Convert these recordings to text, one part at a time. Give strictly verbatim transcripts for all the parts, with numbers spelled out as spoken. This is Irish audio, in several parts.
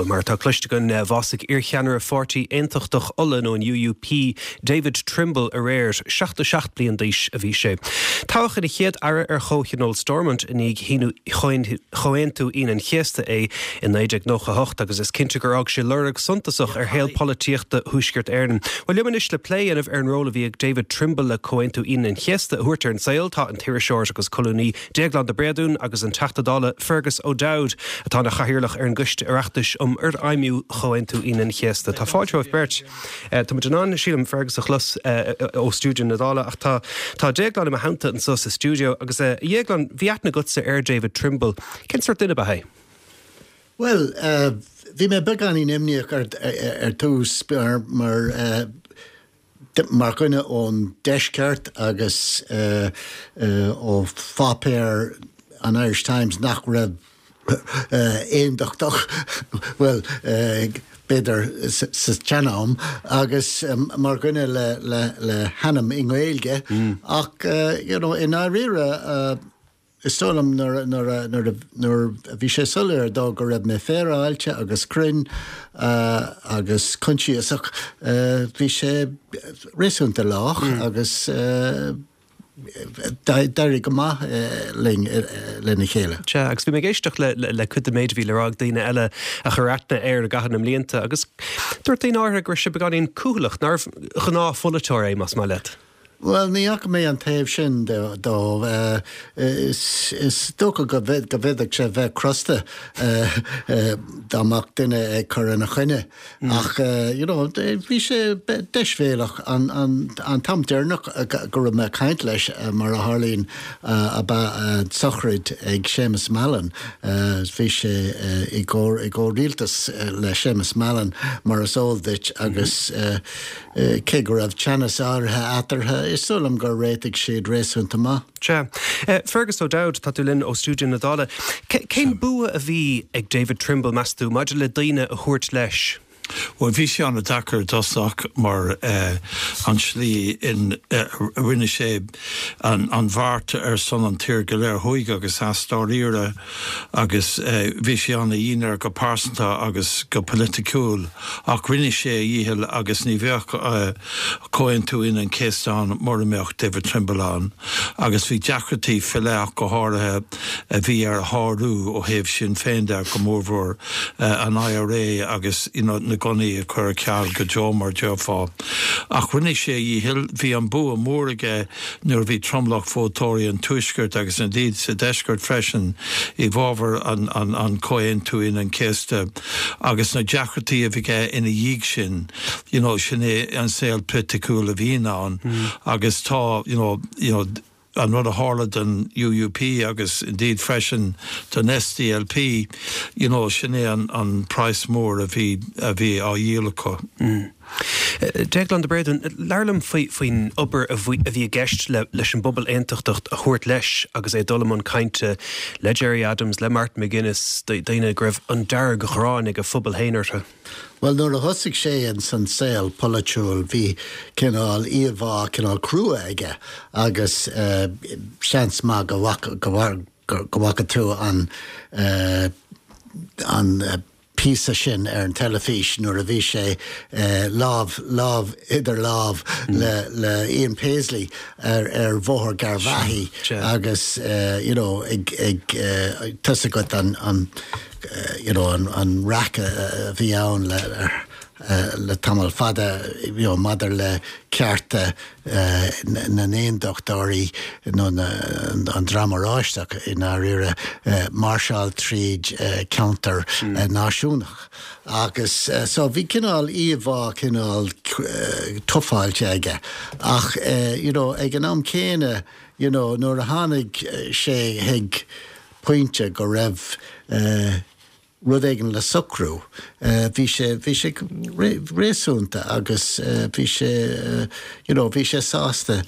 Mar atá cloiste againn bhásaigh iarcheannaire Pháirtí Aontachtach Uladh nó an UUP David Trimble aréir seachtó seacht bliain d'aois a bhí sé. Toghadh ina chéad aire ar Chomhthionól Stormont i ndiaidh Chomhaontú Aoine an Chéasta é i naoi déag nócha hocht agus is cinnte gur fhág sé lorg suntasach ar shaol polaitíochta Thuaisceart Éireann. Bhuel liom anois le plé a dhéanamh ar an ról a bhí ag David Trimble le Comhaontú Aoine an Chéasta a thabhairt ar an saol tá an t-iriseoir agus colúnaí Déaglán de Bréadún agus an Teachta Dála Fergus O'Dowd atá ina chathaoirleach ar an gCoiste Oireachtais um Fhorfheidhmiú Chomhaontú Aoine an Chéasta. Tá fáilte romhaibh beirt. Tá muid in ann sílim Fergus a chlos ó stiúideo na Dála ach tá tá Déaglán i mo theannta anseo sa stiúideo agus a Dhéagláin bhí aithne agatsa ar David Trimble. Cén sórt duine ba é? Well, bhí mé beagáinín imníoch ar ar tús mar mar mar dhuine ón deisceart agus ó pháipéar an Irish Times nach raibh aondachtach well b'fhéidir sa tsean-am agus mar dhuine le le le hainm i nGaeilge ach you know i ndáiríre is dóigh liom nuair nuair nuair nuair a bhí sé soiléir dó go raibh mé féaráilte agus cruinn agus coinsiasach bhí sé réasúnta lách agus d'éirigh go maith linn lena chéile. Sea, agus bhí mé ag éisteacht le le cuid den méid a bhí le rá ag daoine eile a chuir aithne air i gcaitheamh na mblianta agus dúirt daoine áirithe go raibh sé beagáinín cúthaileach, nárbh ghnáthpholaiteoir é más maith leat. Bhuel, ní fhaca mé an taobh sin dó. Is is dócha go bhféadfadh sé bheith crosta dá mbeadh duine ag cur ina choinne. Ach you know, bhí sé deisbhéalach an an an t-am deireanach go raibh mé ag caint leis mar a tharlaíonn ab ea sochraid ag Séamus Mallon. Bhí sé i gcomh i gcomhrialtas le Séamus Mallon mar is eol duit agus cé go raibh teannas áirithe eatarthu, is dóigh liom gur réitigh siad réasúnta maith. Sea. Fergus O'Dowd, tá tú linn ó stiúideo na Dála. Cén bua a bhí ag David Trimble, meas tú, maidir le daoine a thabhairt leis? Bhuel, bhí sé an-deacair i dtosach mar an tslí in a rinne sé an bheart ar son an tír go léir thuaidh agus theas dáiríre agus bhí sé an-dhian air go pearsanta agus go polaiticiúil ach rinne sé a dhícheall agus ní bheadh Comhaontú Aoine an Chéasta ann mura mbeadh David Trimble ann agus bhí deacrachtaí faoi leith ach go háirithe a bhí air a shárú ó thaobh Sinn Féin de, go mórmhór an IRA agus you know na gunnaí a chur ar ceal go deo mar déarfá. Ach rinne sé a dhícheall, bhí an bua mór aige nuair a bhí tromlach vótóirí an Tuaiscirt agus indeed sa Deisceart freisin i bhfabhar an an an Comhaontú Aoine an Chéasta agus na deacrachtaí a bhí aige ina dhiaidh sin, you know sin é an saol polaitiúil a bhíonn ann agus tá you know you know an rud a tharla don UUP agus indeed freisin don SDLP, you know sin é an an praghas mór a bhí a bhí á dhíol acu. Mm. Déaglán de Bréadún, labhair liom faoi faoin obair a bhí a bhí i gceist le leis an bpobal aontachtach a thabhairt leis agus é ag dul i mbun cainte le Gerry Adams, le Martin McGuinness, daoine go raibh an dearg-ghráin ag a phobal féin orthu. Bhuel, nuair a thosaigh sé ins an saol polaitiúil bhí cineál íomhá cineál crua aige agus seans maith go bhfaca go bhfaca tú an an píosa sin ar an teilifís nuair a bhí sé lámh lámh idir lámh le le Ian Paisley ar ar Bhóthar Gharbhachaidh agus you know ag ag tá a fhios agat an an you know an an raic a bhí ann le le tamall fada you know maidir le cearta na n-aondachtóirí nó na an dream oráisteach i ndáiríre máirseáil tríd ceantar náisiúnach agus so bhí cineál íomhá cineál tufáilte aige ach you know ag an am céanna you know nuair a tháinig sé chuig pointe go raibh rud éigin le socrú. Bhí sé, bhí sé réasúnta agus bhí sé, you know, bhí sé sásta,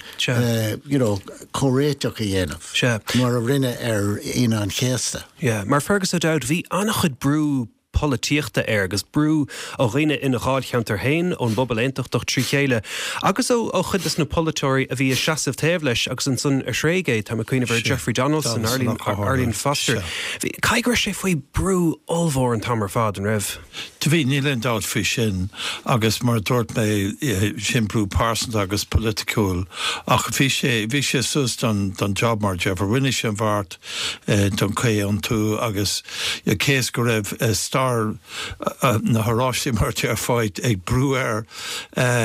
you know, comhréiteach a dhéanamh, mar a rinne ar Aoine an Chéasta. Yeah, mar Fergus O'Dowd, bhí an-chuid brú polaitíochta air agus brú ó dhaoine ina dháilcheantar féin, ón bpobal aontachtach trí chéile agus ó ó chuid des na polaiteoirí a bhí ag seasamh taobh leis agus ansan a thréig é, tá mé ag cuimhneamh ar Jeffrey Donaldson, Arlene, Arlene Foster. Bhí, caithfidh go raibh sé faoi brú ollmhór an t-am ar fad, an raibh? Do bhí, níl aon dabht faoi sin agus mar a dúirt mé sin brú pearsanta agus polaiticiúil ach bhí sé, bhí sé suas don, don job mar a déarfá, rinne sé an bheart don chomhaontú agus cé is go raibh stair na hOráistí mar a déarfá ag brú air,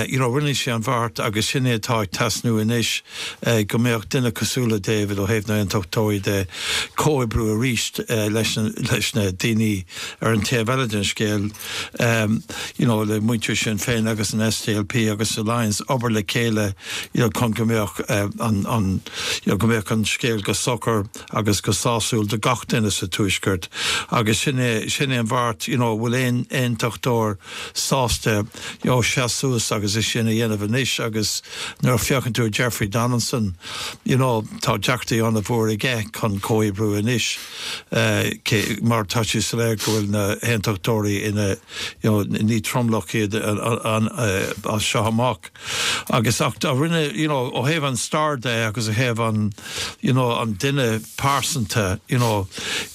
you know, rinne sé an bheart agus sin é atá ag teasnú anois, go mbeadh duine cosúil le David ó thaobh na nAontachtóirí de comhoibriú arís leis leis na daoine ar an taobh eile den scéal, you know, le muintir Sinn Féin agus an SDLP agus Alliance obair le chéile, you know, chun go mbeadh an an you know, go mbeadh an scéal go socair agus go sásúil do gach duine sa Tuaisceart agus sin é sin é an bheart, you know, bhfuil aon aontachtóir sásta, you know, seasamh suas agus é sin a dhéanamh anois agus nuair a féachann tú ar Jeffrey Donaldson, you know, tá deacrachtaí an-mhór aige chun comhoibriú anois cé mar tá sé soiléir go bhfuil na haontachtóirí ina, you know, ní tromlach iad an, as seo amach. Agus ach a rinne, you know, ó thaobh an stair de agus ó thaobh an, you know, an duine pearsanta, you know,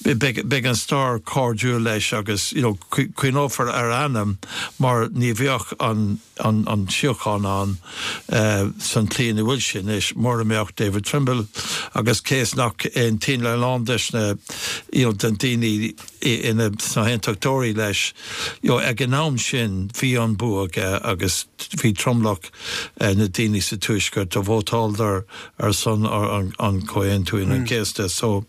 beidh, beidh an stair cairdiúil leis agus, you know, cuimhneofar ar a ainm mar ní bheadh an, an, an síocháin ann san tslí ina bhfuil sé anois mura mbeadh David Trimble agus cé is nach aontaíonn a lán des na, you know, den daoine ina sna haontachtóirí leis, you know, ag an am sin bhí an bua aige agus bhí tromlach na daoine sa Tuaisceart a vótáladar ar son an, an Comhaontú Aoine an Chéasta. So,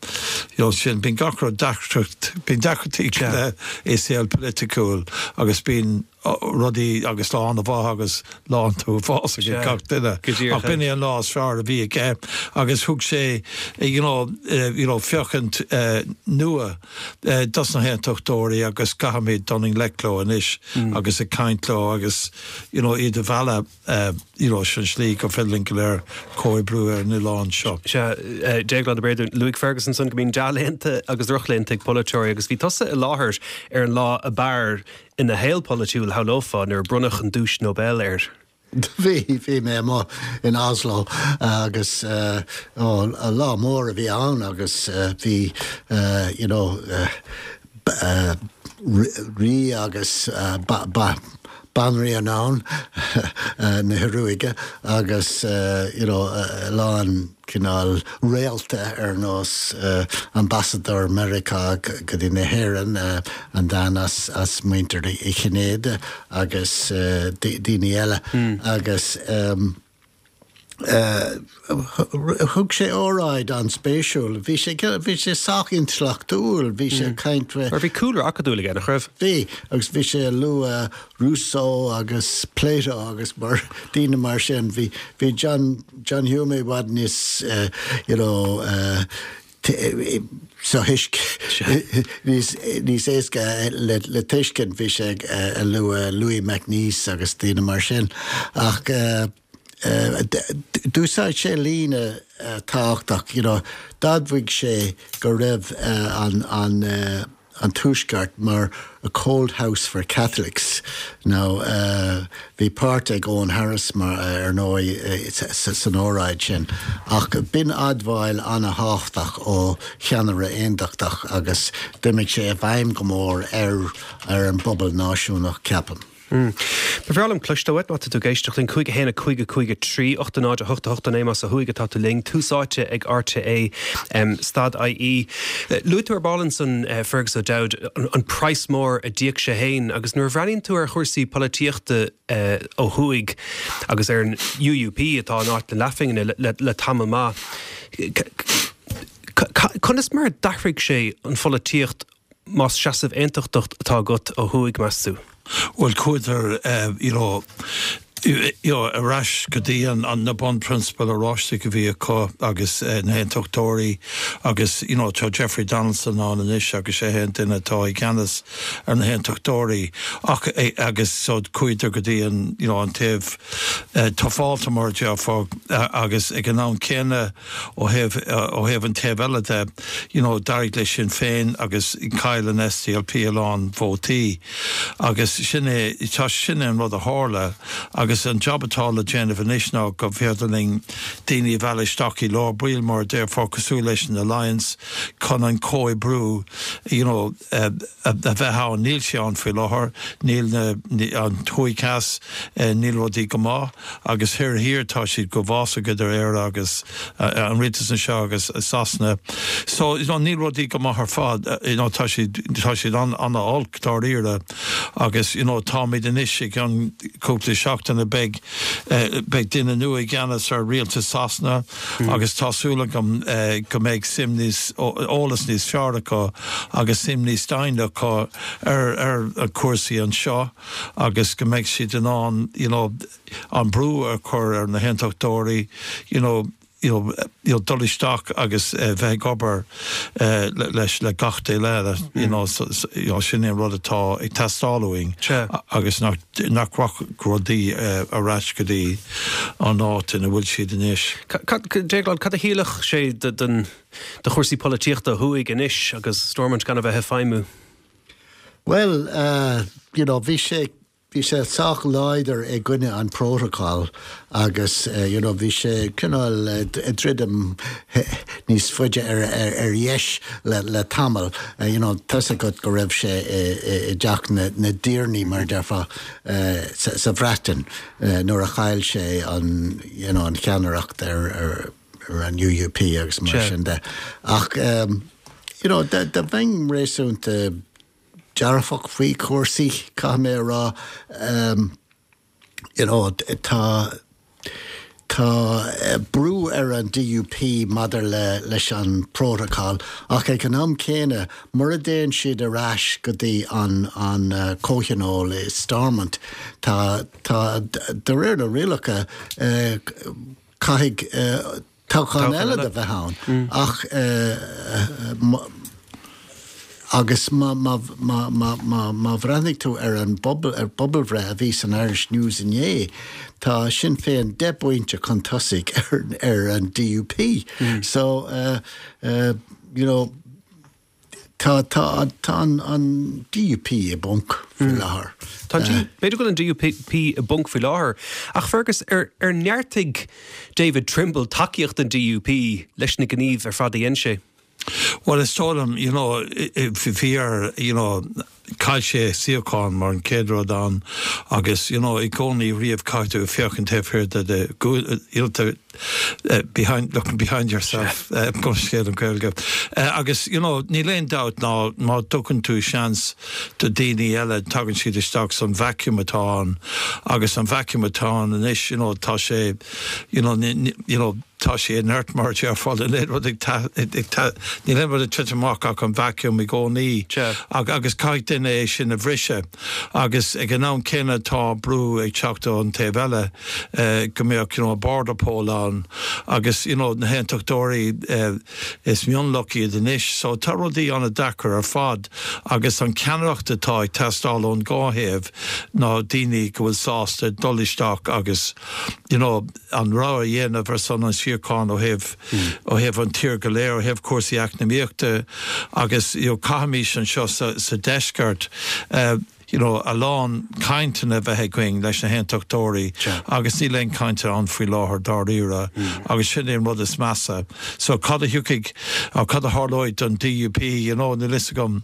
you know, sin, bíonn gach rud deacracht, bíonn deacrachtaí le i saol polaitiúil agus bíonn rudaí agus lá an-mhaith agus lá an-uafásach ag gach duine. Ach b'in é an lá is fearr a bhí aige agus thug sé, you know, you know, féachaint nua dos na haontachtóirí agus caithfimid dul i ngleic leo anois agus ag caint leo agus, you know, iad a mhealladh, you know, sin slí gur féidir linn go léir comhoibriú ar an oileán seo. Sea, Déaglán de Bréadún, luaigh Fergus ansan go mbíonn dea-laethanta agus drochlaethanta ag polaiteoirí agus bhí tusa i láthair ar an lá ab fhearr ina shaol polaitiúil, shamhlófá, nuair a bronnadh an Duais Nobel air. Bhí, bhí mé amuigh in Oslo agus ó, lá mór a bhí ann agus bhí, you know, rí agus banríon ann na hIoruaige agus, you know, a lán cineál réalta ar nós ambasadóir Meiriceá go dtí na hÉireann, an bhean as as muintir Uí Chinnéide agus daoine eile agus thug sé óráid an-spéisiúil. Bhí sé bhí sé sách intleachtúil, bhí sé ag caint Mar bhí cúlra acadúil aige, nach raibh? Bhí, agus bhí sé ag lua Rousseau agus Plato agus mar daoine mar sin. Bhí bhí John John Hume i bhfad níos you know sothuisce níos níos éasca le le tuiscint. Bhí sé ag lua Louis MacNeice agus daoine mar sin. Ach d'úsáid sé líne tábhachtach, you know, d'admhaigh sé go raibh an an an Tuaisceart mar a cold house for Catholics. Now bhí páirt ag Eoghan Harris mar ar ndóigh san óráid sin. Ach b'in admháil an-thábhachtach ó cheannaire aontachtach agus d'imigh sé i bhfeidhm go mór ar ar an bpobal náisiúnach, ceapaim. Ba bhreá liom cloisteáil uait má tá tú ag éisteacht linn, cúig a haon a cúig a cúig a trí, ocht a náid a hocht a hocht a naoi más ó thuaidh atá tú linn, Tús Áite ag RTÉ stad IE. Luaigh tú ar ball ansan, Fergus O'Dowd, an praghas mór a d'íoc sé féin agus nuair a bhreathnaíonn tú ar chúrsaí polaitíochta ó thuaidh agus ar an UUP atá in áit na leathphingine le tamall maith, conas mar a d'athraigh sé an pholaitíocht más seasamh aontachtach atá agat ó thuaidh, meas tú? Bhuel, chuadar, you know, you know, ar ais go dtí an, an na bunphrionsabail Oráisteach a bhí acu agus uh, na hAontachtóirí agus you know, tá Jeffrey Donaldson ann anois agus sé an duine atá i gceannas ar na hAontachtóirí ach eh, agus so chuadar go dtí an you know, an taobh uh, tufáilte mar déarfá uh, agus ag an am céanna ó thaobh uh, ó thaobh an taobh eile de you know, d'éirigh le Sinn Féin agus chaill an S D L P a lán vótaí agus sin é tá sin an rud a tharla agus an job atá le déanamh anois ná go féidir linn daoine a mhealladh isteach i lár baill mar déarfá cosúil leis an Alliance chun an comhoibriú you know, uh, a bheith ann. Níl sé ann faoi láthair. Níl na an thuaidh theas uh, níl rudaí go maith agus thiar thiar tá siad go bhfásach idir Éire agus uh, an rialtas anseo agus Sasana. So you know, níl rudaí go maith ar fad uh, you know, tá siad tá siad an an-olc dáiríre agus you know, táimid anois i gceann cúpla seachtain beidh uh, beidh duine nua i gceannas ar rialtas Sasana mm. agus tá súil agam uh, go mbeidh suim níos eolas níos fearr acu agus suim níos doimhne acu ar ar a cúrsaí anseo agus go mbeidh siad in ann you know, an brú a chur ar na hAontachtóirí you know, you know, you know, dul isteach agus uh, bheith ag obair uh, leis le gach duine mm. you know, so, so, you know, sin an rud atá ag teastáil uainn agus nach nach rudaí uh, ar ais go dtí an áit ina bhfuil siad anois. Déaglán, cad a chiallódh sé den de chúrsaí polaitíochta thuaidh anois agus Stormont gan a bheith ag feidhmiú? Well, uh, you know, bhí sé bhí sé sách láidir i gcoinne an protocol agus uh, you know, bhí sé cineál uh, druidim níos faide ar, ar, ar dheis le, le tamall uh, you know, tá go go raibh sé i dteach na, na dtiarnaí mar déarfá uh, sa, sa Bhreatain uh, nuair a chaill sé an, you know, an cheannaireacht ar, ar, ar an U U P agus mar sin de. Ach um, you know, de, de bheinn réasúnta dearfach faoi chúrsaí, caithfidh mé rá um, you know, tá tá eh, brú ar an D U P maidir le leis an protocol ach ag an am céanna mura dtéann siad ar ais go dtí an an uh, comhthionól i Stormont tá tá de réir na rialacha uh, caithfidh uh, toghchán eile de bheith ann mm. ach uh, agus má má bhreathnaigh tú ar an bpobal ar pobalbhreith a bhí san Irish News inné, tá Sinn Féin deich bpointe chun tosaigh ar, ar an D U P. Mm. So uh, uh, you know, tá tá tá an, an D U P i bponc faoi mm. láthair. Tá b'fhéidir go an D U P i bponc faoi láthair ach Fergus ar ar neartaigh David Trimble tacaíocht an D U P leis na gníomh ar fad a dhein sé. Well, is dóigh liom, you know, bhí you know, chaill sé suíochán mar an chéad rud ann agus you know, i gcónaí riamh caithfidh tú féachaint taobh thiar de de you know, uh, behind looking behind yourself uh, scéal an Ghaeilge. Uh, agus you know, níl aon dabht ná má thugann tú seans do daoine eile tagann siad isteach san vacuum atá ann agus an vacuum atá ann anois you know, tá sé you know, you know, tá sé inert mar déarfá rud ní le rud titim ach an vacuum i gcónaí agus caithfidh duine é sin a bhriseadh agus ag an am céanna tá brú ag teacht an taobh eile eh, go mbeadh you know, border poll ann agus you know, na hAontachtóirí eh, is mionlach iad anois, so tá rudaí an-deacair ar fad agus an ceannaireacht atá ag teastáil ón dhá thaobh ná daoine go bhfuil sásta dul isteach agus you know, an rogha a dhéanamh ar son an síocháin ó thaobh mm. ó thaobh an tír go léir ó thaobh cúrsaí eacnamaíochta agus you know, caithfimid anseo sa, sa deisceart uh, you know, a lán cainteanna bheith againn leis na hAontachtóirí agus níl aon chaint ann faoi láthair dáiríre mm. agus sin an rud is measa. So cad a thiocfaidh cad a tharlóidh don D U P you know, níl a fhios agam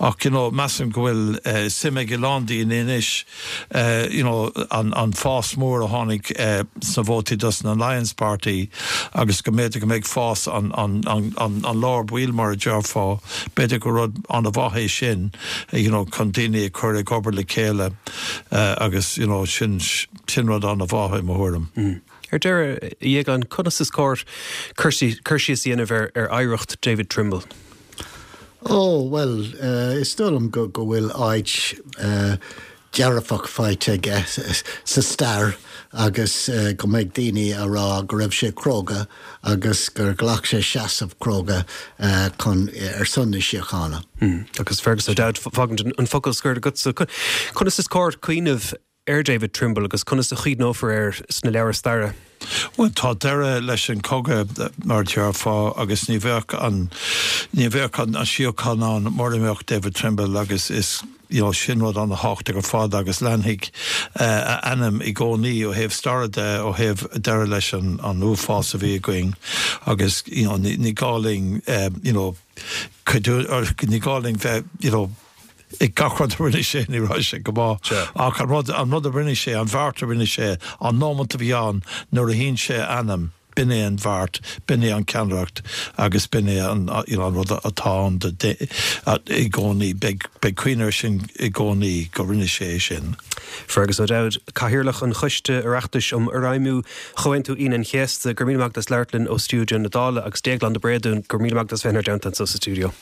ach you know, measaim go bhfuil uh, suim ag a lán daoine anois uh, you know, an, an fás mór a tháinig uh, sna vótaí dos an Alliance Party agus go mb'fhéidir go mbeidh fás an, an, an, an, an lár baill mar a déarfá b'fhéidir go rud an-mhaith é sin you know, chun daoine chur ag obair le chéile uh, agus you know, sin sin rud an-mhaith i mo thuairim. Mm. Ar deireadh Dhéagláin, conas is cóir cur síos a dhéanamh ar ar oidhreacht David Trimble. Oh well uh, is dóigh liom go go bhfuil áit uh, dearfach faighte aige sa stair agus go mbeidh daoine a rá go raibh sé cróga agus gur ghlac sé seasamh cróga chun ar son na síochána. Agus Fergus O'Dowd fágann an focal scoir agatsa. Conas is cóir cuimhneamh ar David Trimble agus conas a chuimhneofar air sna leabhair staire? Well tá deireadh leis an cogadh mar déarfá agus ní bheadh an ní bheadh an síocháin ann mura mbeadh David Trimble agus is you know, sin rud an-tábhachtach ar fad agus leanfaidh uh, a ainm i gcónaí ó thaobh staire de ó thaobh deireadh leis an, an uafás a bhí againn agus you know, ní, ní gá linn um, you know, ní gá linn bheith you know, ag gach rud a rinne sé ní raibh sé go maith ach an rud an rud a rinne sé an bheart a rinne sé an nóiméad a bhí ann nuair a shín sé ainm b'in é an bheart, b'in é an ceannaireacht agus b'in é an you know, an rud atá ann i gcónaí beidh cuimhne air sin i gcónaí go rinne sé sin. Fergus O'Dowd, Cathaoirleach an Choiste Oireachtais um Fhorfheidhmiú Chomhaontú Aoine an Chéasta, gur míle maith as labhairt linn ó stiúideo na Dála agus Déaglán de Bréadún, gur míle maith as bheith inár dteannta sa stiúideo.